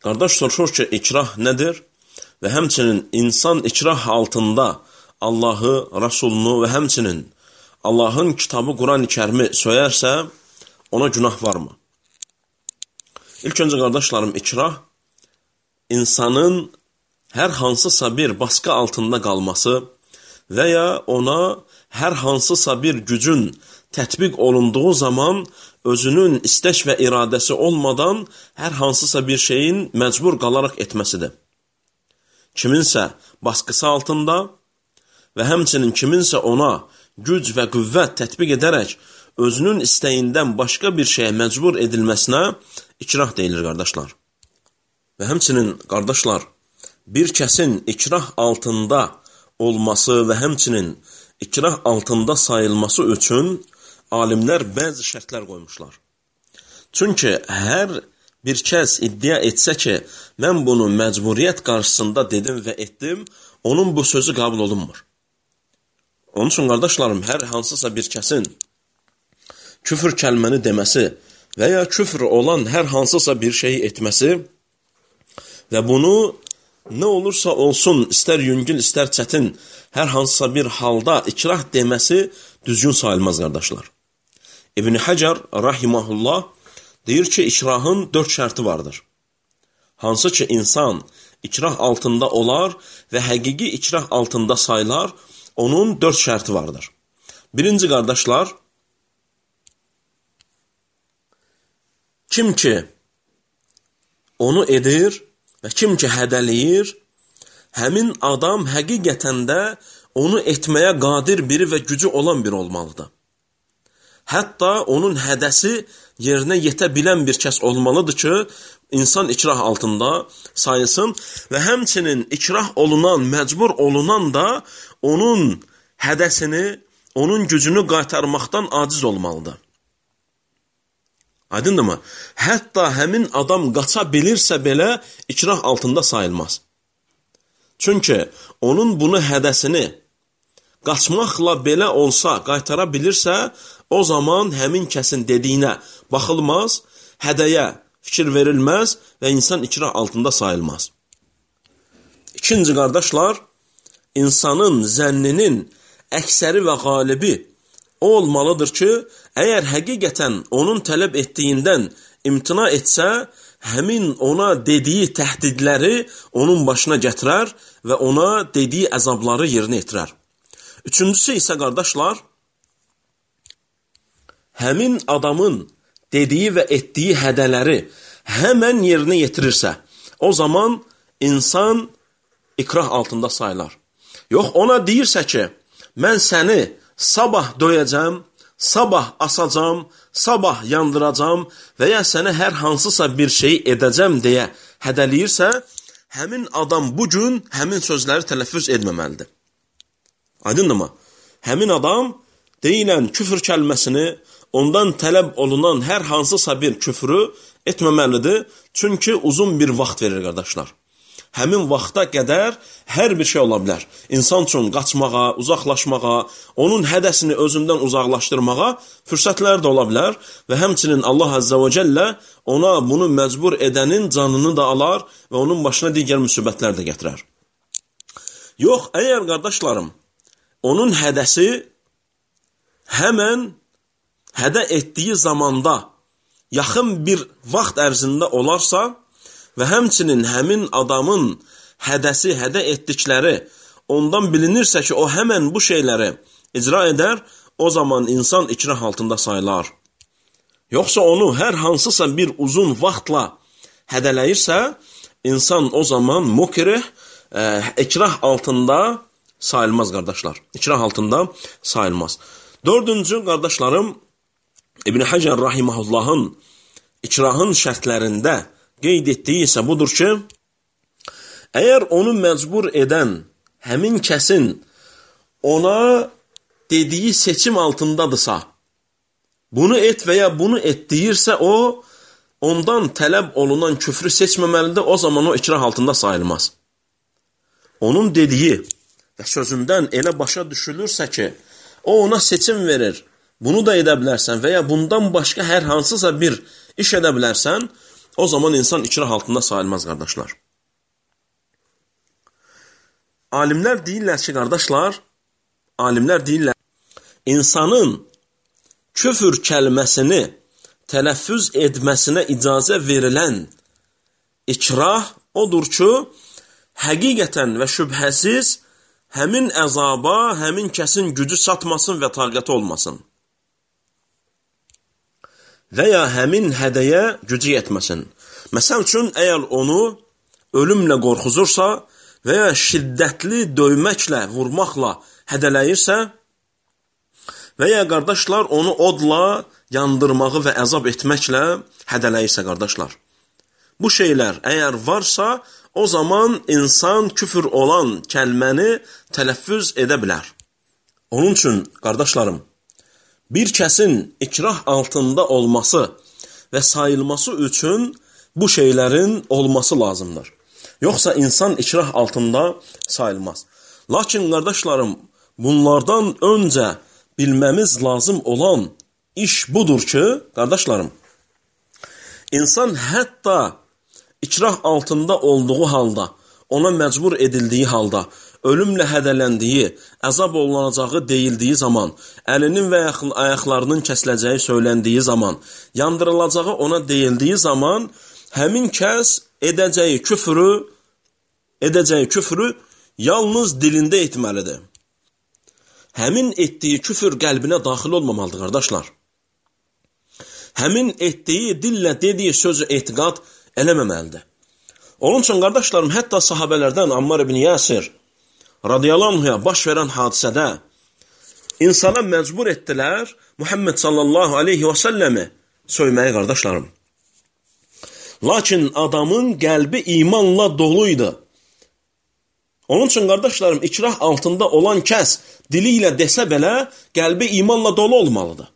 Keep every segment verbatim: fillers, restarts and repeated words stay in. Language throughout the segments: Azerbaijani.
Qardaş soruşur ki, ikrah nədir? Və həmçinin insan ikrah altında Allahı, Rasulunu və həmçinin Allahın kitabı Quran-ı Kərimi söyərsə, ona günah varmı? İlk öncə qardaşlarım, ikrah insanın hər hansısa bir baskı altında qalması və ya ona hər hansısa bir gücün tətbiq olunduğu zaman özünün istək və iradəsi olmadan hər hansısa bir şeyin məcbur qalaraq etməsidir. Kiminsə baskısı altında və həmçinin kiminsə ona güc və qüvvət tətbiq edərək özünün istəyindən başqa bir şeyə məcbur edilməsinə ikrah deyilir, qardaşlar. Və həmçinin, qardaşlar, bir kəsin ikrah altında olması və həmçinin ikrah altında sayılması üçün alimlər bəzi şərtlər qoymuşlar. Çünki hər bir kəs iddia etsə ki, mən bunu məcburiyyət qarşısında dedim və etdim, onun bu sözü qəbul olunmur. Onun üçün, qardaşlarım, hər hansısa bir kəsin küfür kəlməni deməsi və ya küfr olan hər hansısa bir şeyi etməsi və bunu nə olursa olsun, istər yüngül, istər çətin, hər hansısa bir halda ikrah deməsi düzgün sayılmaz, qardaşlar. İbn Hacer rahimehullah deyir ki, ikrahın dörd şərti vardır. Hansı ki, insan ikrah altında olar və həqiqi ikrah altında sayılar, onun dörd şərti vardır. Birinci, qardaşlar, kim ki onu edir və kim ki hədəliyir, həmin adam həqiqətən də onu etməyə qadir biri və gücü olan biri olmalıdır. Hətta onun hədəsi yerinə yetə bilən bir kəs olmalıdır ki, insan ikrah altında sayılsın və həmçinin ikrah olunan, məcbur olunan da onun hədəsini, onun gücünü qaytarmaqdan aciz olmalıdır. Aydındır mı? Hətta həmin adam qaça bilirsə belə ikrah altında sayılmaz. Çünki onun bunu hədəsini qaçmaqla belə olsa qaytara bilirsə, o zaman həmin kəsin dediyinə baxılmaz, hədəyə fikir verilməz və insan ikrah altında sayılmaz. İkinci, qardaşlar, insanın zənninin əksəri və qalibi o olmalıdır ki, əgər həqiqətən onun tələb etdiyindən imtina etsə, həmin ona dediyi təhdidləri onun başına gətirər və ona dediyi əzabları yerinə yetirər. Üçüncüsü isə, qardaşlar, həmin adamın dediyi və etdiyi hədələri həmən yerinə yetirirsə, o zaman insan ikrah altında sayılar. Yox, ona deyirsə ki, mən səni sabah döyəcəm, sabah asacam, sabah yandıracam və ya sənə hər hansısa bir şey edəcəm deyə hədəliyirsə, həmin adam bugün həmin sözləri tələffüz etməməlidir. Aydındır mı? Həmin adam deyilən küfür kəlməsini, ondan tələb olunan hər hansısa bir küfrü etməməlidir. Çünki uzun bir vaxt verir, qardaşlar. Həmin vaxta qədər hər bir şey ola bilər. İnsan üçün qaçmağa, uzaqlaşmağa, onun hədəsini özündən uzaqlaşdırmağa fürsətlər də ola bilər və həmçinin Allah Azza və Cəllə ona bunu məcbur edənin canını da alar və onun başına digər müsibətlər də gətirər. Yox, əgər qardaşlarım, onun hədəsi həmən hədə etdiyi zamanda yaxın bir vaxt ərzində olarsa və həmçinin həmin adamın hədəsi, hədə etdikləri ondan bilinirsə ki, o həmən bu şeyləri icra edər, o zaman insan ikrah altında sayılar. Yoxsa onu hər hansısa bir uzun vaxtla hədələyirsə, insan o zaman mukrih, e, ikrah altında sayılmaz, qardaşlar. İkrah altında sayılmaz. Dördüncü, qardaşlarım, İbn Hacer rahimehullahın ikrahın şərtlərində qeyd etdiyi isə budur ki, əgər onu məcbur edən həmin kəsin ona dediyi seçim altındadırsa, bunu et və ya bunu et deyirsə, o, ondan tələb olunan küfrü seçməməlidir, o zaman o ikrah altında sayılmaz. Onun dediyi və sözündən elə başa düşülürsə ki, o ona seçim verir, bunu da edə bilərsən və ya bundan başqa hər hansısa bir iş edə bilərsən, o zaman insan ikrah altında sayılmaz, qardaşlar. Alimlər deyirlər ki, qardaşlar, alimlər deyirlər, insanın küfür kəlməsini tələffüz etməsinə icazə verilən ikrah odur ki, həqiqətən və şübhəsiz həmin əzaba, həmin kəsin gücü çatmasın və taqəti olmasın. Və ya həmin hədəyə gücü yetməsin. Məsəl üçün, əgər onu ölümlə qorxuzursa və ya şiddətli döyməklə, vurmaqla hədələyirsə və ya qardaşlar onu odla yandırmağı və əzab etməklə hədələyirsə, qardaşlar. Bu şeylər əgər varsa, o zaman insan küfür olan kəlməni tələffüz edə bilər. Onun üçün, qardaşlarım, bir kəsin ikrah altında olması və sayılması üçün bu şeylərin olması lazımdır. Yoxsa insan ikrah altında sayılmaz. Lakin, qardaşlarım, bunlardan öncə bilməmiz lazım olan iş budur ki, qardaşlarım, insan hətta ikrah altında olduğu halda, ona məcbur edildiyi halda, ölümlə hədələndiyi, əzab olunacağı deyildiyi zaman, əlinin və ayaqlarının kəsiləcəyi söyləndiyi zaman, yandırılacağı ona deyildiyi zaman, həmin kəs edəcəyi küfrü, edəcəyi küfrü yalnız dilində etməlidir. Həmin etdiyi küfür qəlbinə daxil olmamalıdır, qardaşlar. Həmin etdiyi, dillə dediyi sözü etiqad eləməməlidir. Onun üçün, qardaşlarım, hətta sahabələrdən Ammar ibn Yasir radiyallahu anhuya baş verən hadisədə insana məcbur etdilər Muhammed sallallahu aleyhi və səlləmi söyməyi, qardaşlarım. Lakin adamın qəlbi imanla doluydu. Onun üçün, qardaşlarım, ikrah altında olan kəs dili ilə desə belə, qəlbi imanla dolu olmalıdır.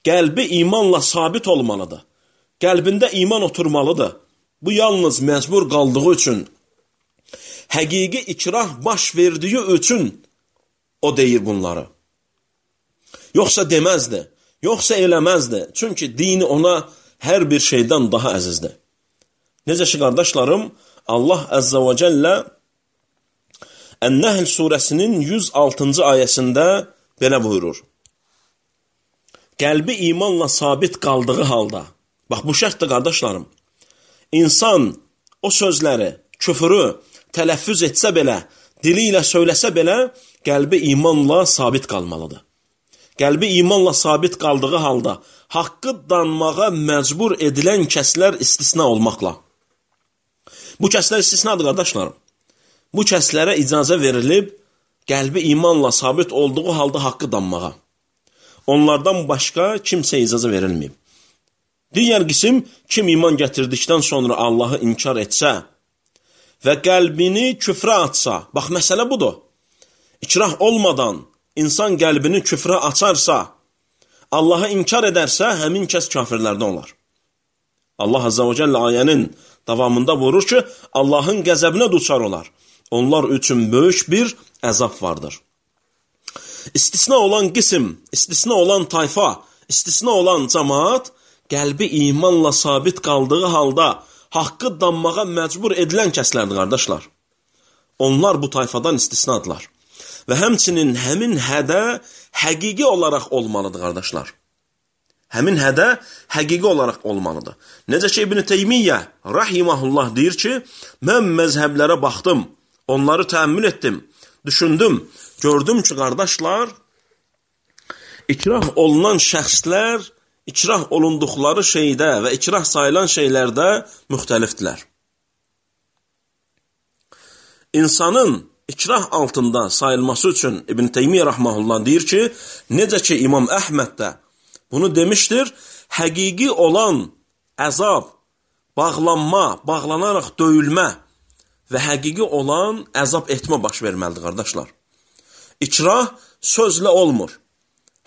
Qəlbi imanla sabit olmalıdır. Qəlbində iman oturmalıdır. Bu yalnız məcbur qaldığı üçün, həqiqi ikrah baş verdiyi üçün o deyir bunları. Yoxsa deməzdi, yoxsa eləməzdi. Çünki dini ona hər bir şeydən daha əzizdir. Necə ki, qardaşlarım, Allah Əzzə və Cəllə Ən-Nəhl surəsinin yüz altıncı ayəsində belə buyurur. Qəlbi imanla sabit qaldığı halda, bax bu şərtdir, qardaşlarım, insan o sözləri, küfürü tələffüz etsə belə, dili ilə söyləsə belə, qəlbi imanla sabit qalmalıdır. Qəlbi imanla sabit qaldığı halda, haqqı danmağa məcbur edilən kəslər istisna olmaqla. Bu kəslər istisnadır, qardaşlarım. Bu kəslərə icazə verilib, qəlbi imanla sabit olduğu halda haqqı danmağa. Onlardan başqa kimsə icazə verilməyib. Digər qism, kim iman gətirdikdən sonra Allahı inkar etsə və qəlbini küfrə atsa, bax, məsələ budur. İkrah olmadan insan qəlbini küfrə açarsa, Allahı inkar edərsə, həmin kəs kafirlərdən olar. Allah Azza və Cəllə ayənin davamında buyurur ki, Allahın qəzəbinə duçar olar. Onlar üçün böyük bir əzab vardır. İstisna olan qism, istisna olan tayfa, istisna olan cəmaat, qəlbi imanla sabit qaldığı halda haqqı danmağa məcbur edilən kəslərdir, qardaşlar. Onlar bu tayfadan istisnadılar. Və həmçinin həmin hədə həqiqi olaraq olmalıdır, qardaşlar. Həmin hədə həqiqi olaraq olmalıdır. Necə ki, İbn Teymiyyə rahiməhullah deyir ki, mən məzhəblərə baxdım, onları təəmmül etdim, düşündüm, gördüm ki, qardaşlar, ikrah olunan şəxslər, ikrah olunduqları şeydə və ikrah sayılan şeylərdə müxtəlifdirlər. İnsanın ikrah altında sayılması üçün İbn Teymiyyə rahmehullah deyir ki, necə ki İmam Əhməd də bunu demişdir, həqiqi olan əzab, bağlanma, bağlanaraq döyülmə və həqiqi olan əzab etmə baş verməlidir, qardaşlar. İkrah sözlə olmur,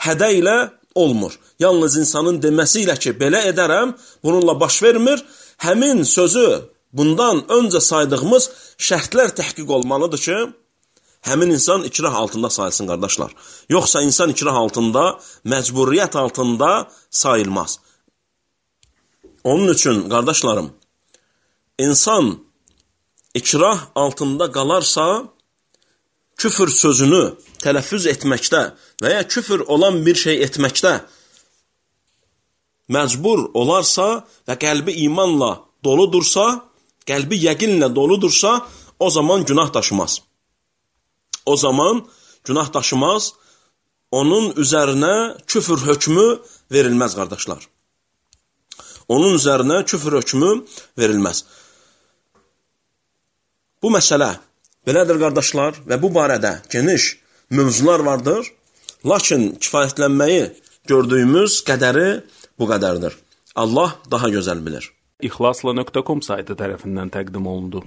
hədə ilə olmur. Yalnız insanın deməsi ilə ki, belə edərəm, bununla baş vermir, həmin sözü bundan öncə saydığımız şərtlər təhqiq olmalıdır ki, həmin insan ikrah altında sayılsın, qardaşlar. Yoxsa insan ikrah altında, məcburiyyət altında sayılmaz. Onun üçün, qardaşlarım, insan ikrah altında qalarsa, küfür sözünü tələffüz etməkdə və ya küfür olan bir şey etməkdə məcbur olarsa və qəlbi imanla doludursa, qəlbi yəqinlə doludursa, o zaman günah daşımaz. O zaman günah daşımaz, onun üzərinə küfür hökmü verilməz, qardaşlar. Onun üzərinə küfür hökmü verilməz. Bu məsələ belədir, qardaşlar, və bu barədə geniş mövzular vardır. Lakin kifayətlənməyi gördüyümüz qədəri bu qədərdir. Allah daha gözəl bilir. İxlasla nöqtə com saytı tərəfindən təqdim olundu.